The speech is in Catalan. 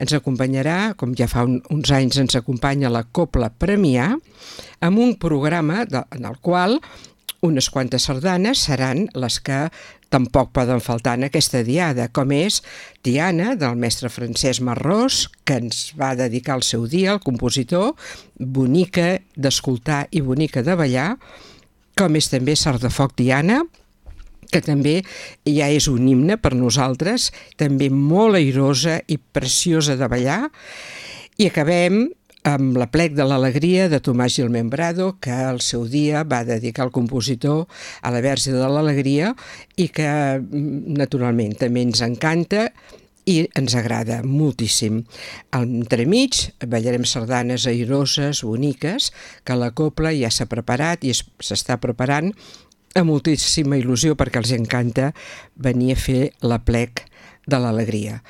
ens acompanyarà, com ja fa uns anys ens acompanya la Cobla Premià, amb un programa en el qual unes quantes sardanes seran les que tampoc poden faltar en aquesta diada, com és Tiana, del mestre Francesc Marrós, que ens va dedicar el seu dia, el compositor, bonica d'escoltar i bonica de ballar, com és també Sardafoc Tiana, que també ja és un himne per nosaltres, també molt airosa i preciosa de ballar. I acabem amb l'Aplec de l'Alegria de Tomàs Gil Membrado, que al seu dia va dedicar el compositor a la Verge de l'Alegria i que naturalment també ens encanta i ens agrada moltíssim. Entremig ballarem sardanes airoses, boniques, que la Cobla ja s'ha preparat i s'està preparant amb moltíssima il·lusió perquè els encanta venir a fer l'Aplec de l'Alegria.